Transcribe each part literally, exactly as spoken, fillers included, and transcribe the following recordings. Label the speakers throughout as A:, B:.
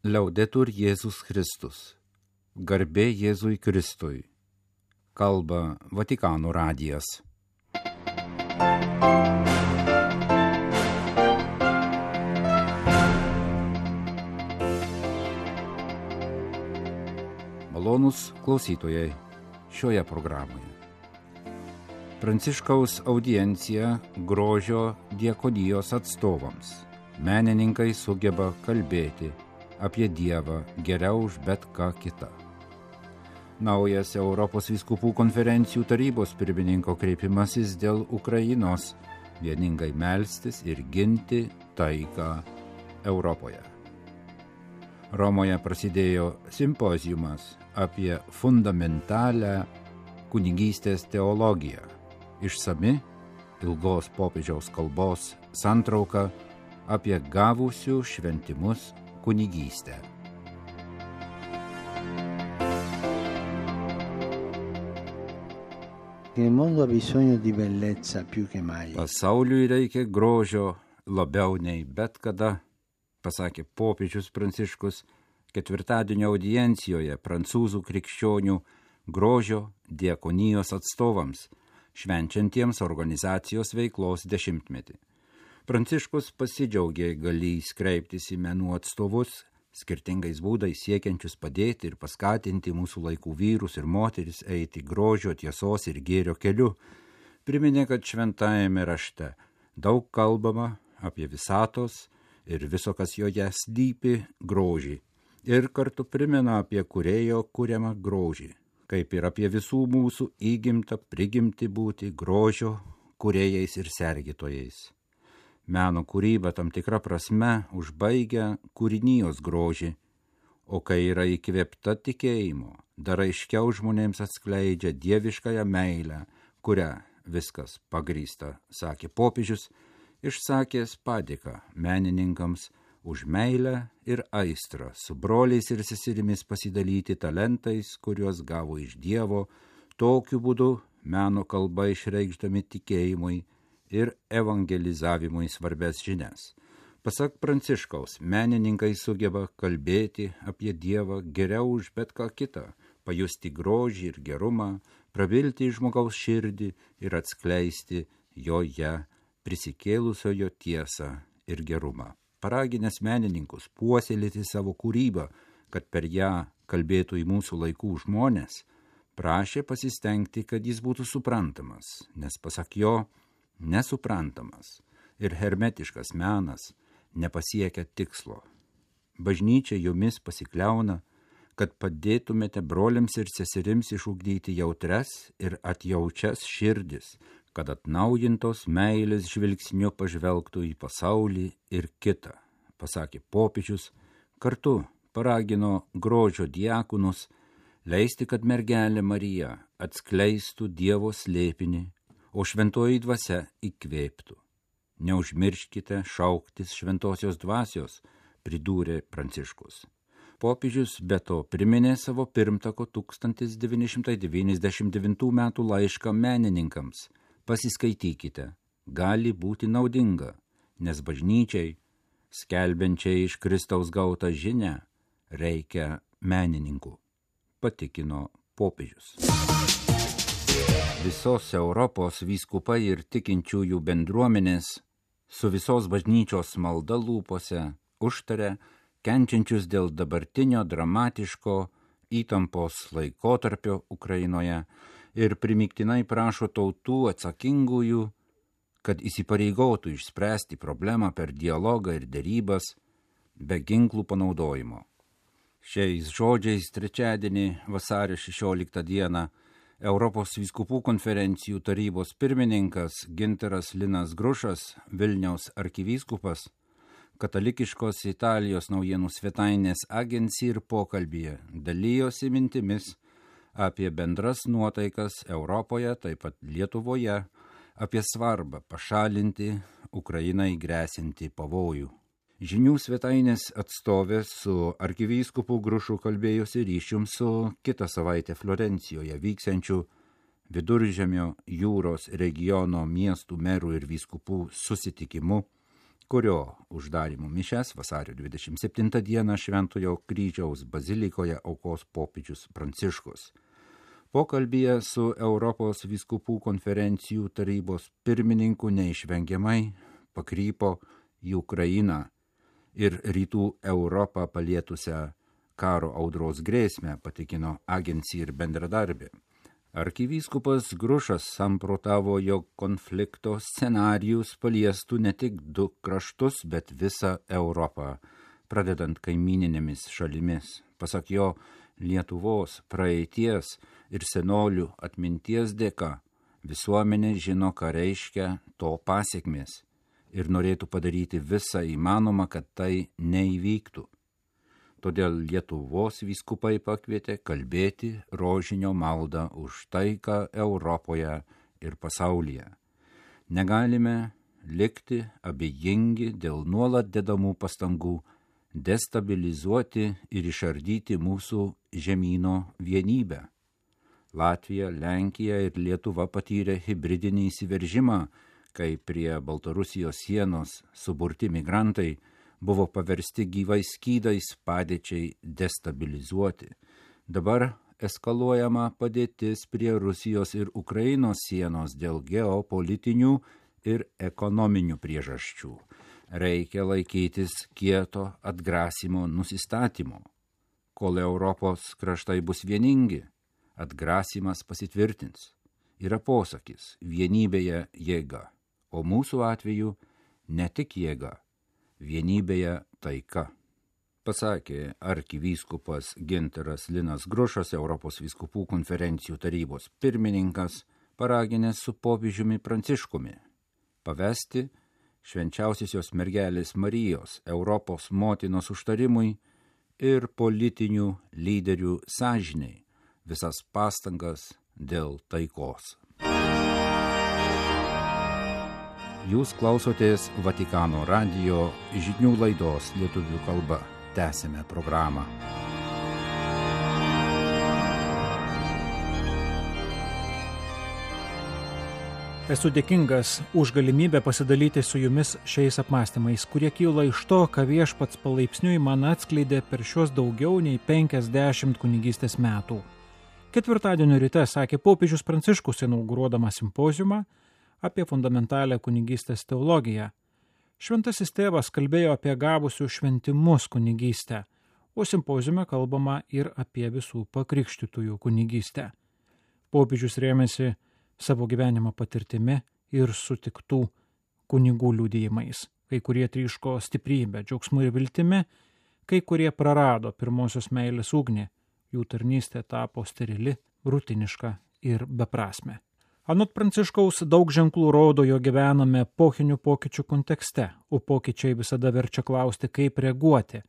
A: Liaudetur Jėzus Kristus. Garbė Jėzui Kristui. Kalba Vatikano radijas. Malonūs klausytojai šioje programoje. Pranciškaus audiencija grožio diakonijos atstovams. Menininkai sugeba kalbėti apie Dievą geriau už bet ką kitą. Naujas Europos vyskupų konferencijų tarybos pirmininko kreipimasis dėl Ukrainos vieningai melstis ir ginti taiką Europoje. Romoje prasidėjo simpoziumas apie fundamentalią kunigystės teologiją. Išsami ilgos popiežiaus kalbos santrauka apie gavusių šventimus kunigystę.
B: Il mondo ha bisogno di bellezza più che mai.
A: Pasauliui reikia grožio labiau nei bet kada, pasakė popiežius Pranciškus ketvirtadienio audiencijoje prancūzų krikščionių grožio diakonijos atstovams, švenčiantiems organizacijos veiklos dešimtmetį. Pranciškus pasidžiaugė galįs kreiptis į menų atstovus, skirtingais būdais siekiančius padėti ir paskatinti mūsų laikų vyrus ir moteris eiti grožio, tiesos ir gėrio keliu. Priminė, kad šventajame rašte daug kalbama apie visatos ir viso, kas joje slypi, grožį. Ir kartu primena apie kūrėjo kuriamą grožį, kaip ir apie visų mūsų įgimtą prigimti būti grožio kūrėjais ir sergėtojais. Meno kūryba tam tikra prasme užbaigia kūrinijos grožį, o kai yra įkvėpta tikėjimo, dar aiškiau žmonėms atskleidžia dieviškąją meilę, kuria viskas pagrįsta, sakė popiežius, išsakęs padėką menininkams už meilę ir aistrą su broliais ir seserimis pasidalyti talentais, kuriuos gavo iš Dievo, tokiu būdu meno kalba išreikšdami tikėjimui ir evangelizavimui svarbės žinias. Pasak Pranciškaus, menininkai sugeba kalbėti apie Dievą geriau už bet ką kitą, pajusti grožį ir gerumą, prabilti į žmogaus širdį ir atskleisti joje prisikėlusiojo tiesą ir gerumą. Paraginęs menininkus puoselėti savo kūrybą, kad per ją kalbėtų į mūsų laikų žmonės, prašė pasistengti, kad jis būtų suprantamas, nes pasak jo, nesuprantamas ir hermetiškas menas nepasiekia tikslo. Bažnyčia jumis pasikliauna, kad padėtumėte broliams ir seserims išugdyti jautres ir atjaučias širdis, kad atnaujintos meilės žvilgsniu pažvelgtų į pasaulį ir kitą, pasakė popiežius, kartu paragino grožio diakonus leisti, kad mergelė Marija atskleistų Dievo slėpinį, o šventoji dvasia įkvėptų. Neužmirškite šauktis šventosios dvasios, pridūrė Pranciškus. Popiežius be to priminė savo pirmtako tūkstantis devyni šimtai devyniasdešimt devintų metų laišką menininkams. Pasiskaitykite, gali būti naudinga, nes bažnyčiai, skelbiančiai iš Kristaus gautą žinią, reikia menininkų, patikino popiežius. Visos Europos vyskupai ir tikinčiųjų bendruomenės su visos bažnyčios malda lūpose užtarė kenčiančius dėl dabartinio dramatiško įtampos laikotarpio Ukrainoje ir primygtinai prašo tautų atsakingųjų, kad įsipareigotų išspręsti problemą per dialogą ir derybas be ginklų panaudojimo. Šiais žodžiais trečiadienį vasario šešioliktą dieną Europos vyskupų konferencijų tarybos pirmininkas Gintaras Linas Grušas, Vilniaus arkivyskupas, katalikiškos Italijos naujienų svetainės Agency ir pokalbyje dalyjosi mintimis apie bendras nuotaikas Europoje, taip pat Lietuvoje, apie svarbą pašalinti Ukrainai gresiantį pavojų. Žinių svetainės atstovė su arkivyskupu Grušu kalbėjosi ryšium su kitą savaitę Florencijoje vyksiančiu Viduržemio jūros regiono miestų merų ir vyskupų susitikimu kurio uždarymo mišias vasario dvidešimt septintą dieną Šventojo kryžiaus bazilikoje aukos popiežius Pranciškus. Pokalbyje su Europos vyskupų konferencijų tarybos pirmininku neišvengiamai pakrypo į Ukrainą ir rytų Europą palietusią karo audros grėsmę, patikino agencija ir bendradarbė. Arkivyskupas Grušas samprotavo, jog konflikto scenarijus paliestų ne tik du kraštus, bet visą Europą, pradedant kaimininėmis šalimis. Pasak jo, Lietuvos praeities ir senolių atminties dėka visuomenė žino, ką reiškia to pasiekmės ir norėtų padaryti visą įmanomą, kad tai neįvyktų. Todėl Lietuvos vyskupai pakvietė kalbėti rožinio maldą už taiką Europoje ir pasaulyje. Negalime likti abejingi dėl nuolat dedamų pastangų destabilizuoti ir išardyti mūsų žemyno vienybę. Latvija, Lenkija ir Lietuva patyrė hibridinį įsiveržimą, kai prie Baltarusijos sienos suburti migrantai buvo paversti gyvais skydais padėčiai destabilizuoti. Dabar eskaluojama padėtis prie Rusijos ir Ukrainos sienos dėl geopolitinių ir ekonominių priežasčių. Reikia laikytis kieto atgrasimo nusistatymo. Kol Europos kraštai bus vieningi, atgrasimas pasitvirtins. Yra posakis vienybėje jėga, o mūsų atveju ne tik jėga, vienybėje taika, pasakė arkivyskupas Gintaras Linas Grušas, Europos vyskupų konferencijų tarybos pirmininkas, paraginęs su popiežiumi Pranciškumi pavesti švenčiausiosios mergelės Marijos Europos motinos užtarimui ir politinių lyderių sąžiniai visas pastangas dėl taikos. Jūs klausotės Vatikano radijo žinių laidos lietuvių kalba. Tęsime programą.
C: Esu dėkingas už galimybę pasidalyti su jumis šiais apmąstymais, kurie kyla iš to, ką Viešpats palaipsniui man atskleidė per šios daugiau nei penkiasdešimt kunigystės metų. Ketvirtadienio ryte sakė popiežius Pranciškus, inauguruodamas simpoziumą apie fundamentalią kunigystės teologiją. Šventasis tėvas kalbėjo apie gavusių šventimus kunigystę, o simpoziume kalbama ir apie visų pakrikštytųjų kunigystę. Popiežius rėmėsi savo gyvenimo patirtimi ir sutiktų kunigų liudijimais. Kai kurie tryško stiprybę, džiaugsmu ir viltimi, kai kurie prarado pirmosios meilės ugnį, jų tarnystė tapo sterili, rutiniška ir beprasmė. Anot Pranciškaus daug ženklų rodo, jo gyvename epochinių pokyčių kontekste, o pokyčiai visada verčia klausti, kaip reaguoti.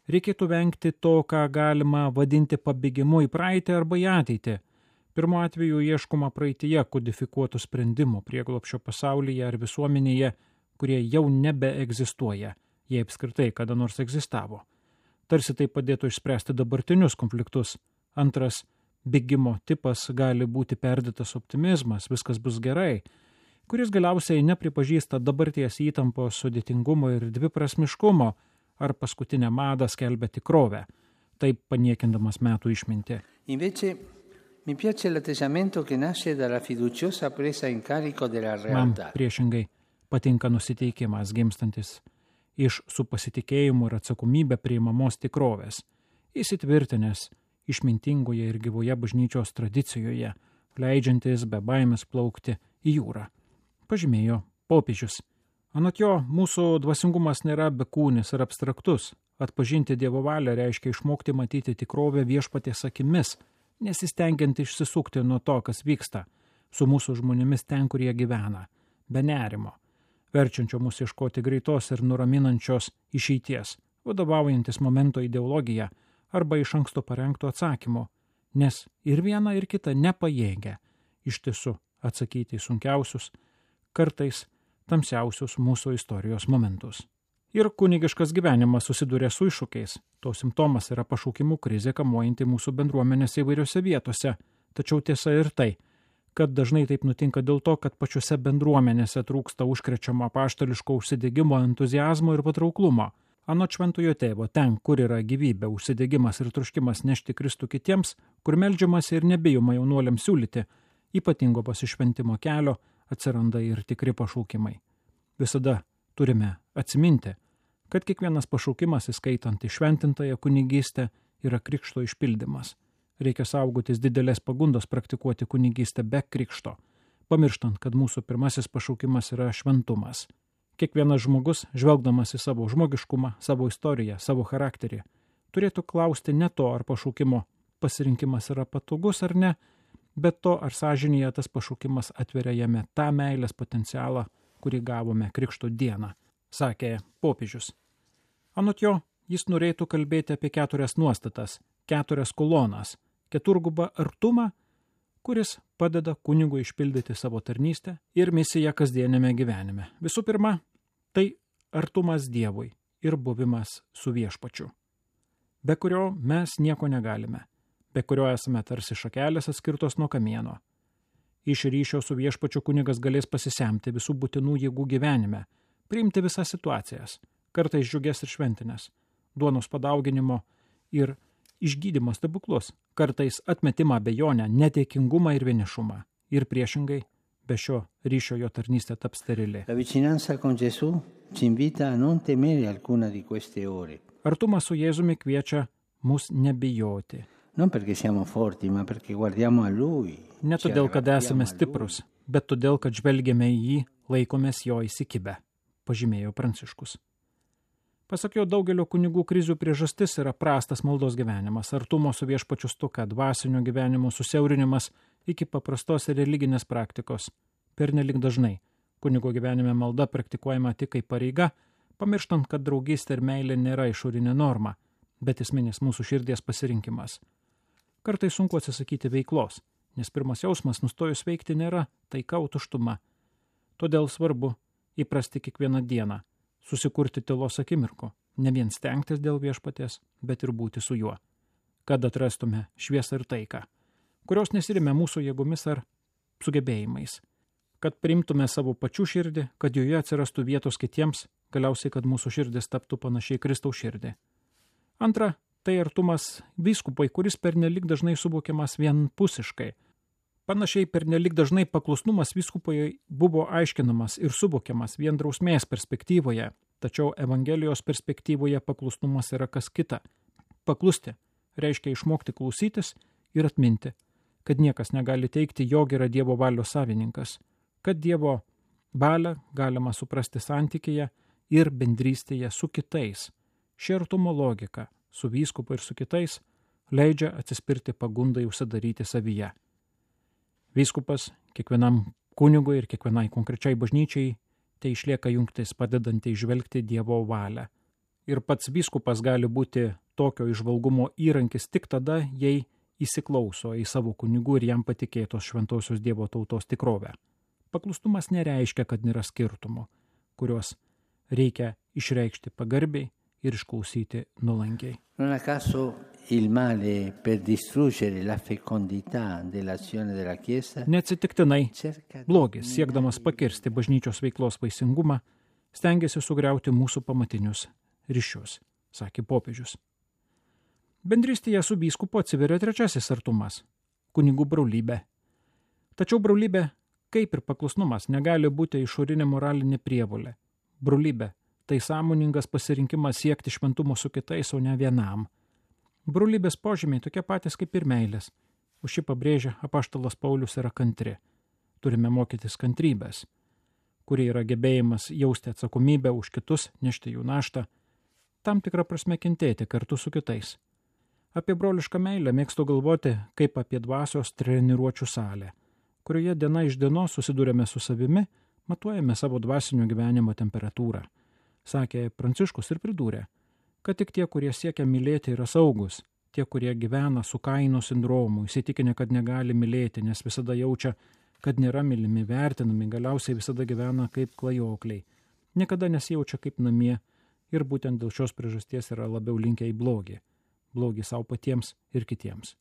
C: Reikėtų vengti to, ką galima vadinti pabėgimu į praeitį arba į ateitį. Pirmu atveju ieškoma praeityje kodifikuotų sprendimų prieglobsčio pasaulyje ar visuomenėje, kurie jau nebeegzistuoja, jie apskritai kada nors egzistavo. Tarsi tai padėtų išspręsti dabartinius konfliktus. Antras bėgimo tipas gali būti perdėtas optimizmas, viskas bus gerai, kuris galiausiai nepripažįsta dabarties įtampos sudėtingumo ir dviprasmiškumo, ar paskutinę madą skelbia tikrovę, taip paniekindamas metų išmintį.
B: Invece, mi piace l'atteggiamento che nasce dalla fiduciosa presa in carico della realtà.
C: Man priešingai patinka nusiteikimas gimstantis iš su pasitikėjimu ir atsakomybė priimamos tikrovės, įsitvirtinęs išmintingoje ir gyvoje bažnyčios tradicijoje, leidžiantis be baimės plaukti į jūrą, pažymėjo popiežius. Anot jo, mūsų dvasingumas nėra bekūnis ir abstraktus. Atpažinti Dievo valią reiškia išmokti matyti tikrovę Viešpaties akimis, nesistengiant išsisukti nuo to, kas vyksta su mūsų žmonėmis ten, kur jie gyvena, be nerimo, verčiančio mus ieškoti greitos ir nuraminančios išeities, vadovaujantis momento ideologija arba iš anksto parengto atsakymo, nes ir viena ir kita nepajėgia iš tiesų atsakyti į sunkiausius, kartais tamsiausius mūsų istorijos momentus. Ir kunigiškas gyvenimas susiduria su iššūkiais. To simptomas yra pašaukimų krizė kamuojanti mūsų bendruomenės įvairiose vietose. Tačiau tiesa ir tai, kad dažnai taip nutinka dėl to, kad pačiose bendruomenėse trūksta užkrečiamo apaštališko užsidegimo, entuziazmo ir patrauklumo. Anot šventojo tėvo, ten, kur yra gyvybė, užsidegimas ir troškimas nešti Kristų kitiems, kur meldžiamasi ir nebijoma jaunuoliams siūlyti ypatingo pasišventimo kelio, atsiranda ir tikri pašaukimai. Visada turime atsiminti, kad kiekvienas pašaukimas, įskaitant įšventintąją kunigystę, yra krikšto išpildymas. Reikia saugotis didelės pagundos praktikuoti kunigystę be krikšto, pamirštant, kad mūsų pirmasis pašaukimas yra šventumas. Kiekvienas žmogus, žvelgdamas į savo žmogiškumą, savo istoriją, savo charakterį, turėtų klausti ne to, ar pašaukimo pasirinkimas yra patogus ar ne, bet to, ar sąžinėje tas pašaukimas atveria jame tą meilės potencialą, kurį gavome krikšto dieną, sakė popiežius. Anot jo, jis norėtų kalbėti apie keturias nuostatas, keturias kolonas, keturgubą artumą, kuris padeda kunigui išpildyti savo tarnystę ir misiją kasdienėme gyvenime. Visų pirma, tai artumas Dievui ir buvimas su viešpačiu, be kurio mes nieko negalime, be kurio esame tarsi šakelės atskirtos nuo kamieno. Iš ryšio su viešpačiu kunigas galės pasisemti visų būtinų jėgų gyvenime, priimti visas situacijas, kartais džiugias ir šventinės, duonos padauginimo ir išgydymo stebuklus, kartais atmetimą, abejonę, neteikingumą ir vienišumą. Ir priešingai, be šio ryšio jo tarnystė taps sterili.
B: La vicinanza con Gesù ci invita a non temere alcuna di queste ore.
C: Artumas su Jėzumi kviečia mus nebijoti.
B: Non perché siamo forti, ma perché guardiamo a Lui.
C: Ne todėl, kad esame stiprus, bet todėl, kad žvelgiame į jį, laikomės jo įsikibę, pažymėjo Pranciškus. Pasak jo, daugelio kunigų krizių priežastis yra prastas maldos gyvenimas, artumo su viešpačiu stoka, dvasinio gyvenimo susiaurinimas iki paprastos ir religinės praktikos. Pernelik dažnai kunigo gyvenime malda praktikuojama tik kaip pareiga, pamirštant, kad draugystė ir meilė nėra išorinė norma, bet esminis mūsų širdies pasirinkimas. Kartai sunku atsisakyti veiklos, nes pirmas jausmas nustojus veikti nėra taika, o tuštuma. Todėl svarbu įprasti kiekvieną dieną, susikurti tylos akimirko, ne vien stengtis dėl viešpaties, bet ir būti su juo, kad atrastume šviesą ir taiką, kurios nesirime mūsų jėgomis ar sugebėjimais, kad priimtume savo pačių širdį, kad joje atsirastų vietos kitiems, galiausiai, kad mūsų širdis taptų panašiai Kristaus širdį. Antra, tai artumas vyskupui, kuris pernelik dažnai suvokiamas vienpusiškai. Panašiai pernelik dažnai paklusnumas vyskupui buvo aiškinamas ir suvokiamas vien drausmės perspektyvoje, tačiau Evangelijos perspektyvoje paklusnumas yra kas kita. Paklusti reiškia išmokti klausytis ir atminti, kad niekas negali teikti, jog yra Dievo valios savininkas, kad Dievo valią galima suprasti santykyje ir bendrystėje su kitais. Ši artumo logika su vyskupu ir su kitais leidžia atsispirti pagundai užsidaryti savyje. Vyskupas kiekvienam kunigui ir kiekvienai konkrečiai bažnyčiai tai išlieka jungtis padedanti įžvelgti Dievo valią. Ir pats vyskupas gali būti tokio įžvalgumo įrankis tik tada, jei įsiklauso į savo kunigų ir jam patikėtos šventosios Dievo tautos tikrovę. Paklustumas nereiškia, kad nėra skirtumų, kuriuos reikia išreikšti pagarbiai ir išklausyti nuolankiai.
B: Non a caso il male per distruggere la fecondità dell'azione della Chiesa.
C: Neatsitiktinai blogis, siekdamas pakirsti bažnyčios veiklos vaisingumą, stengiasi sugriauti mūsų pamatinius ryšius, sakė popiežius. Bendrystėje su vyskupu atsiveria trečiasis artumas – kunigų brolybė. Tačiau brolybė, kaip ir paklusnumas, negali būti išorinė moralinė prievolė. Brolybė – tai sąmoningas pasirinkimas siekti šventumo su kitais, o ne vienam. Brolybės požymiai tokie patys kaip ir meilės. Už šį pabrėžia apaštalas Paulius yra kantri. Turime mokytis kantrybės, kuri yra gebėjimas jausti atsakomybę už kitus, nešti jų naštą, tam tikrą prasme kentėti kartu su kitais. Apie brolišką meilę mėgstu galvoti kaip apie dvasios treniruočių salę, kurioje diena iš dienos susidūrėme su savimi, matuojame savo dvasinio gyvenimo temperatūrą. Sakė Pranciškus ir pridūrė, kad tik tie, kurie siekia mylėti, yra saugus, tie, kurie gyvena su Kaino sindromu, įsitikinę, kad negali mylėti, nes visada jaučia, kad nėra mylimi, vertinami, galiausiai visada gyvena kaip klajokliai, niekada nesijaučia kaip namie ir būtent dėl šios priežasties yra labiau linkę į blogį, blogį savo patiems ir kitiems.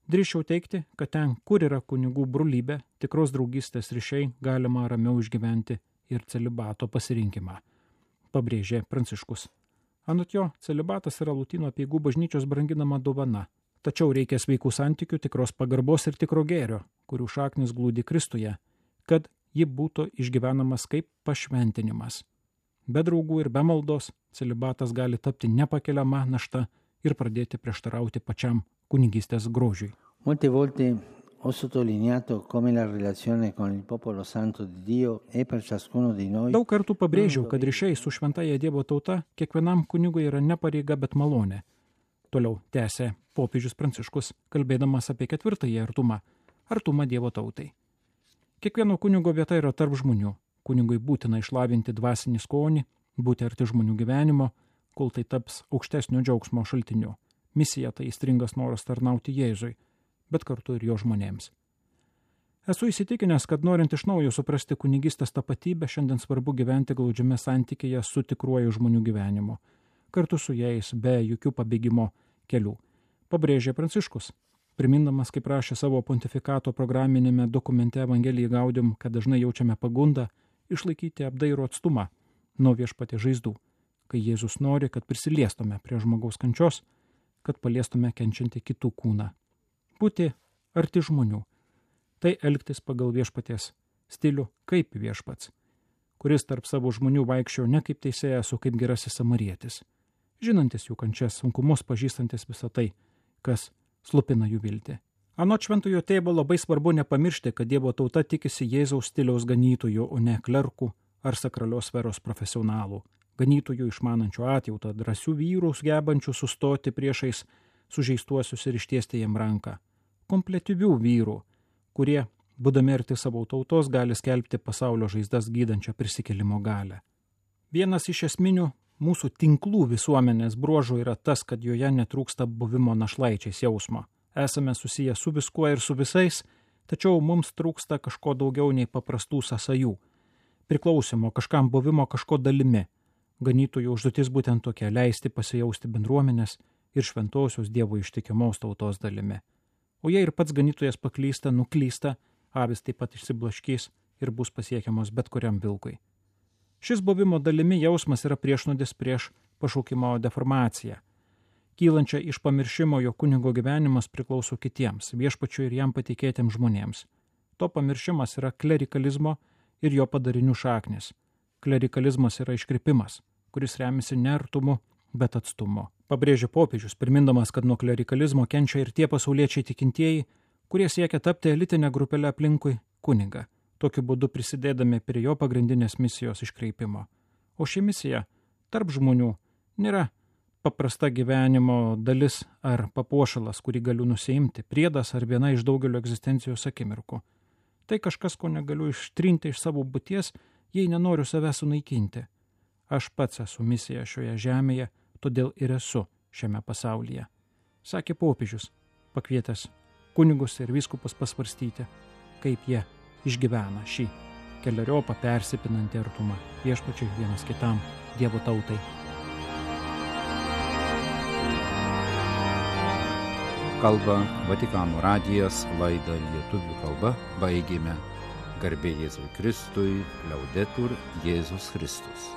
C: Drįsčiau teikti, kad ten, kur yra kunigų brolybė, tikros draugystės ryšiai, galima ramiau išgyventi ir celibato pasirinkimą, pabrėžė Pranciškus. Anot jo, celibatas yra Lotynų apeigų bažnyčios branginama dovana, tačiau reikia sveikų santykių, tikros pagarbos ir tikro gėrio, kurių šaknis glūdi Kristuje, kad ji būtų išgyvenamas kaip pašventinimas. Be draugų ir be maldos celibatas gali tapti nepakeliama našta ir pradėti prieštarauti pačiam kunigystės grožiui.
B: Molte volte ho sottolineato come la relazione con il popolo santo di Dio è per ciascuno di noi.
C: Daug kartų pabrėžiau, kad ryšiai su šventąja Dievo tauta kiekvienam kunigui yra ne pareiga, bet malonė. Toliau tęsė popiežius Pranciškus, kalbėdamas apie ketvirtąjį artumą, artumą Dievo tautai. Kiekvieno kunigo vieta yra tarp žmonių. Kunigui būtina išlavinti dvasinį skonį, būti arti žmonių gyvenimo, kol tai taps aukštesnio džiaugsmo šaltiniu. Misija tai įstringas noras tarnauti Jėzui, bet kartu ir jo žmonėms. Esu įsitikinęs, kad norint iš naujo suprasti kunigystės tapatybę, šiandien svarbu gyventi glaudžiame santykėje su tikruoju žmonių gyvenimu, kartu su jais be jokių pabėgimo kelių, pabrėžė Pranciškus, primindamas, kaip rašė savo pontifikato programinėme dokumente Evangelijai Gaudium, kad dažnai jaučiame pagundą išlaikyti apdairų atstumą nuo viešpaties žaizdų, kai Jėzus nori, kad prisiliestume prie žmogaus kančios, kad paliestume kenčiantį kitų kūną. Būti arti žmonių, tai elgtis pagal viešpaties stilių kaip viešpats, kuris tarp savo žmonių vaikščiojo ne kaip teisėjas, o kaip gerasis samarietis, žinantis jų kančias, sunkumus, pažįstantis visą tai, kas slupina jų viltį. Anot šventojo tėvo labai svarbu nepamiršti, kad Dievo tauta tikisi Jėzaus stiliaus ganytojų, o ne klerkų ar sakralios sferos profesionalų. Ganytojų išmanančių atjautą, drąsių vyrų, gebančių sustoti priešais sužeistuosius ir ištiesti jiem ranką. Kompletyvių vyrų, kurie, būdami arti savo tautos, gali skelbti pasaulio žaizdas gydančią prisikėlimo galią. Vienas iš esminių mūsų tinklų visuomenės bruožų yra tas, kad joje netrūksta buvimo našlaičiais jausmo. Esame susiję su viskuo ir su visais, tačiau mums trūksta kažko daugiau nei paprastų sąsajų. Priklausimo, kažkam buvimo kažko dalimi. Ganytojų užduotis būtent tokia - leisti pasijausti bendruomenės ir šventosios Dievo ištikimos tautos dalimi. O jei ir pats ganytojas paklysta, nuklysta, avis taip pat išsiblaškys ir bus pasiekiamos bet kuriam vilkui. Šis buvimo dalimi jausmas yra priešnodis prieš pašaukimo deformaciją, kylančią iš pamiršimo, jo kunigo gyvenimas priklauso kitiems, viešpačiui ir jam patikėtiems žmonėms. To pamiršimas yra klerikalizmo ir jo padarinių šaknis. Klerikalizmas yra iškrypimas, kuris remiasi ne artumu, bet atstumu. Pabrėžė popiežius, primindamas, kad nuo klerikalizmo kenčia ir tie pasauliečiai tikintieji, kurie siekia tapti elitinę grupelę aplinkui kunigą, tokiu būdu prisidėdami prie jo pagrindinės misijos iškreipimo. O ši misija tarp žmonių nėra paprasta gyvenimo dalis ar papuošalas, kurį galiu nusiimti, priedas ar viena iš daugelio egzistencijos akimirkų. Tai kažkas, ko negaliu ištrinti iš savo būties, jei nenoriu save sunaikinti. Aš pats esu misija šioje žemėje, todėl ir esu šiame pasaulyje, sakė popiežius, pakvietęs kunigus ir vyskupus pasvarstyti, kaip jie išgyvena šį keleriopą persipinantį artumą viešpačiui vienas kitam, Dievo tautai.
A: Kalba Vatikano radijas, laidą lietuvių kalba baigėme. Garbė Jėzui Kristui, Liaudetur Jėzus Kristus.